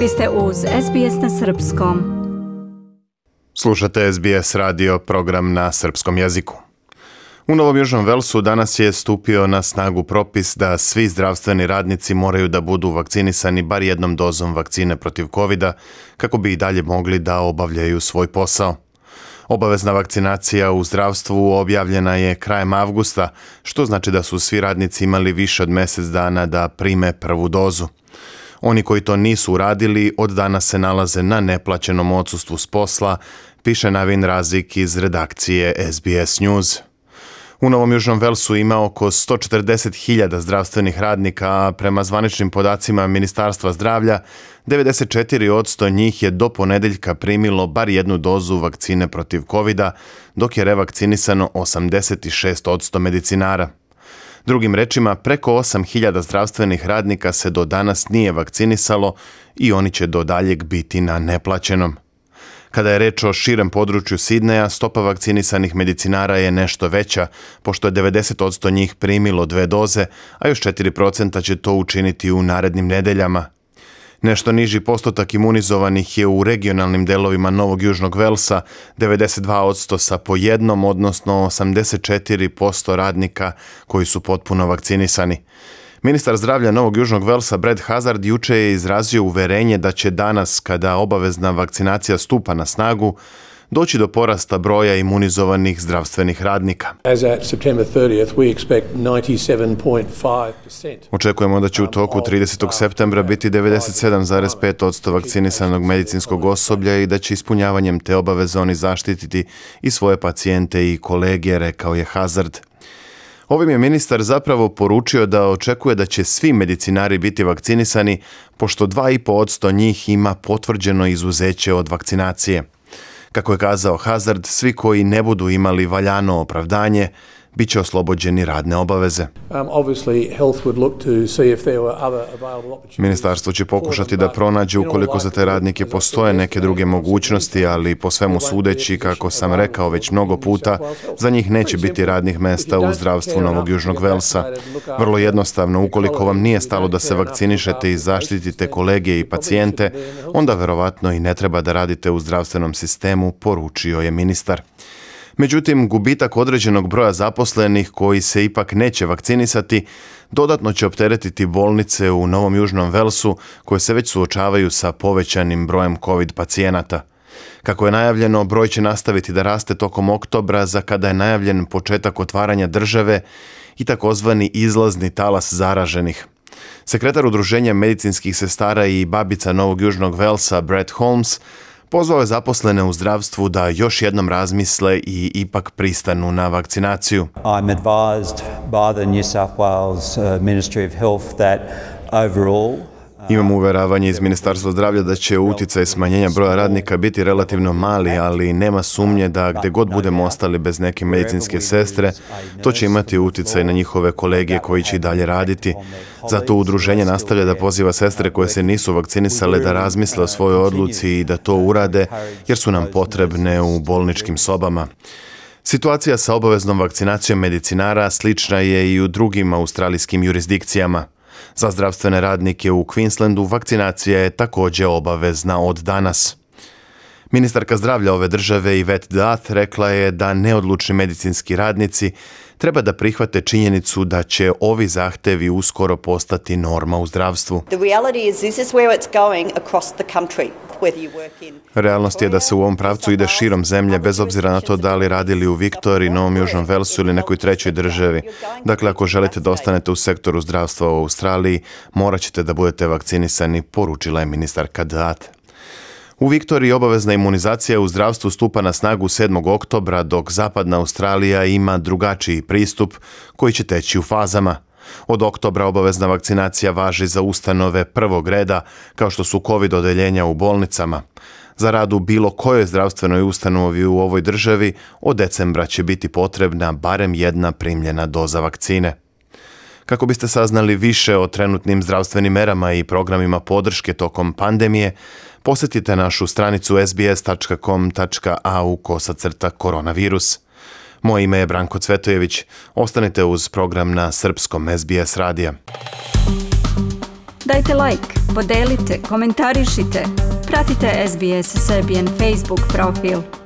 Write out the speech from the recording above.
Vi ste uz SBS na Srpskom. Slušate SBS radio, program na srpskom jeziku. U Novom Južnom Velsu danas je stupio na snagu propis da svi zdravstveni radnici moraju da budu vakcinisani bar jednom dozom vakcine protiv COVID-a kako bi i dalje mogli da obavljaju svoj posao. Obavezna vakcinacija u zdravstvu objavljena je krajem avgusta, što znači da su svi radnici imali više od mjesec dana da prime prvu dozu. Oni koji to nisu uradili od danas se nalaze na neplaćenom odsustvu s posla, piše Navin Razik iz redakcije SBS News. U Novom Južnom Velsu ima oko 140.000 zdravstvenih radnika, a prema zvaničnim podacima Ministarstva zdravlja, 94% njih je do ponedeljka primilo bar jednu dozu vakcine protiv COVID-a, dok je revakcinisano 86% medicinara. Drugim rečima, preko 8.000 zdravstvenih radnika se do danas nije vakcinisalo i oni će do daljeg biti na neplaćenom. Kada je reč o širem području Sidneja, stopa vakcinisanih medicinara je nešto veća, pošto je 90% njih primilo 2 doze, a još 4% će to učiniti u narednim nedeljama. Nešto niži postotak imunizovanih je u regionalnim delovima Novog Južnog Velsa, 92% sa po jednom, odnosno 84% radnika koji su potpuno vakcinisani. Ministar zdravlja Novog Južnog Velsa Brad Hazard juče je izrazio uverenje da će danas, kada obavezna vakcinacija stupa na snagu, doći do porasta broja imunizovanih zdravstvenih radnika. Očekujemo da će u toku 30. septembra biti 97,5% vakcinisanog medicinskog osoblja i da će ispunjavanjem te obaveze oni zaštititi i svoje pacijente i kolege, rekao je Hazard. Ovim je ministar zapravo poručio da očekuje da će svi medicinari biti vakcinisani, pošto 2,5% njih ima potvrđeno izuzeće od vakcinacije. Kako je kazao Hazard, svi koji ne budu imali valjano opravdanje, bit će oslobođeni radne obaveze. Ministarstvo će pokušati da pronađe ukoliko za te radnike postoje neke druge mogućnosti, ali po svemu sudeći, kako sam rekao već mnogo puta, za njih neće biti radnih mesta u zdravstvu Novog Južnog Velsa. Vrlo jednostavno, ukoliko vam nije stalo da se vakcinišete i zaštitite kolege i pacijente, onda verovatno i ne treba da radite u zdravstvenom sistemu, poručio je ministar. Međutim, gubitak određenog broja zaposlenih koji se ipak neće vakcinisati dodatno će opteretiti bolnice u Novom Južnom Velsu koje se već suočavaju sa povećanim brojem COVID pacijenata. Kako je najavljeno, broj će nastaviti da raste tokom oktobra, za kada je najavljen početak otvaranja države i takozvani izlazni talas zaraženih. Sekretar Udruženja medicinskih sestara i babica Novog Južnog Velsa Brett Holmes pozvao je zaposlene u zdravstvu da još jednom razmisle i ipak pristanu na vakcinaciju. I'm advised by the New South Wales Ministry of Health that overall Imam uveravanje iz Ministarstva zdravlja da će uticaj smanjenja broja radnika biti relativno mali, ali nema sumnje da gdje god budemo ostali bez neke medicinske sestre, to će imati uticaj na njihove kolege koji će i dalje raditi. Zato udruženje nastavlja da poziva sestre koje se nisu vakcinisale da razmisle o svojoj odluci i da to urade, jer su nam potrebne u bolničkim sobama. Situacija sa obaveznom vakcinacijom medicinara slična je i u drugim australijskim jurisdikcijama. Za zdravstvene radnike u Queenslandu vakcinacija je također obavezna od danas. Ministarka zdravlja ove države Yvette D'Ath rekla je da neodlučni medicinski radnici treba da prihvate činjenicu da će ovi zahtevi uskoro postati norma u zdravstvu. Realnost je da se u ovom pravcu ide širom zemlje, bez obzira na to da li radili u Viktoriji, Novom Južnom Velsu ili nekoj trećoj državi. Dakle, ako želite da ostanete u sektoru zdravstva u Australiji, morat ćete da budete vakcinisani, poručila je ministarka D'Ath. U Viktoriji obavezna imunizacija u zdravstvu stupa na snagu 7. oktobra, dok zapadna Australija ima drugačiji pristup koji će teći u fazama. Od oktobra obavezna vakcinacija važi za ustanove prvog reda, kao što su COVID odeljenja u bolnicama. Za rad u bilo kojoj zdravstvenoj ustanovi u ovoj državi od decembra će biti potrebna barem jedna primljena doza vakcine. Kako biste saznali više o trenutnim zdravstvenim merama i programima podrške tokom pandemije, posjetite našu stranicu sbs.com.au/koronavirus. Moje ime je Branko Cvetojević. Ostanite uz program na srpskom SBS radija. Dajte like, podelite, komentarišite. Pratite SBS Serbian Facebook profil.